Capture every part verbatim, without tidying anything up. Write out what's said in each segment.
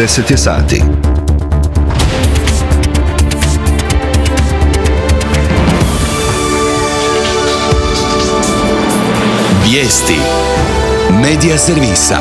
deset je sati. Vijesti Medija servisa.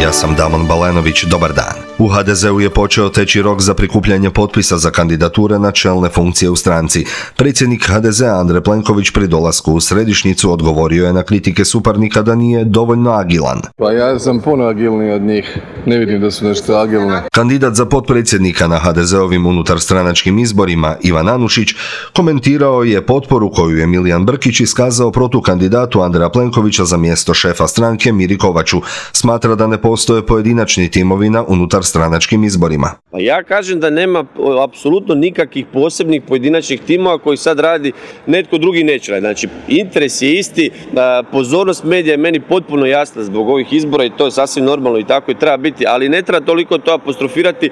Ja sam Damon Balenović, dobar dan. U ha de zeu je počeo teći rok za prikupljanje potpisa za kandidature na čelne funkcije u stranci. Predsjednik ha de zea Andrej Plenković pri dolasku u središnjicu odgovorio je na kritike suparnika da nije dovoljno agilan. Pa ja sam puno agilniji od njih, ne vidim da su nešto agilne. Kandidat za potpredsjednika na ha de zeovim unutarstranačkim izborima, Ivan Anušić, komentirao je potporu koju je Milijan Brkić iskazao protukandidatu Andreja Plenkovića za mjesto šefa stranke Miri Kovaču. Smatra da ne postoje pojedinačni timovi na unutarstranačkim izborima. Pa ja kažem da nema apsolutno nikakvih posebnih pojedinačnih timova koji sad radi netko drugi neće raditi. Znači, interes je isti, pozornost medija je meni potpuno jasna zbog ovih izbora i to je sasvim normalno i tako i treba biti, ali ne treba toliko to apostrofirati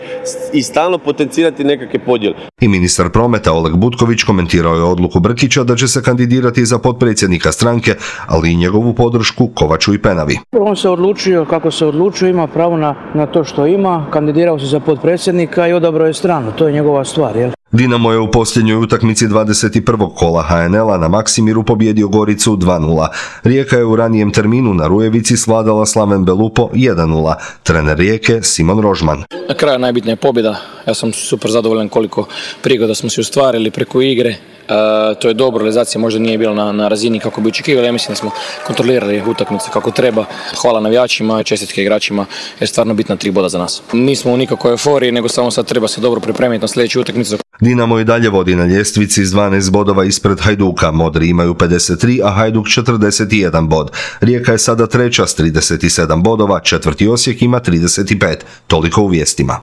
i stalno potencirati nekakve podjele. I ministar prometa Oleg Butković komentirao je odluku Brkića da će se kandidirati za potpredsjednika stranke, ali i njegovu podršku Kovaču i Penavi. On se odlučio kako se odlučio, ima pravo na, na to što ima, kandidirao se za potpredsjednika i odabrao je stranu, to je njegova stvar, jel? Dinamo je u posljednjoj utakmici dvadeset prvog kola ha en el-a na Maksimiru pobijedio Goricu dva nula. Rijeka je u ranijem terminu na Rujevici svladala Slaven Belupo jedan nula. Trener Rijeke Simon Rožman. Na kraju najbitnija je pobjeda. Ja sam super zadovoljan koliko prigoda smo se ostvarili preko igre. E, to je dobro, realizacija možda nije bila na, na razini kako bi očekivali. Ja mislim da smo kontrolirali utakmice kako treba. Hvala navijačima, čestitke igračima, jer je stvarno bitna tri boda za nas. Nismo u nikakvoj euforiji, nego samo sad treba se dobro pripremiti na sljedeću utakmicu. Dinamo i dalje vodi na ljestvici s dvanaest bodova ispred Hajduka. Modri imaju pedeset tri, a Hajduk četrdeset jedan bod. Rijeka je sada treća s trideset sedam bodova, četvrti Osijek ima trideset pet. Toliko u vijestima.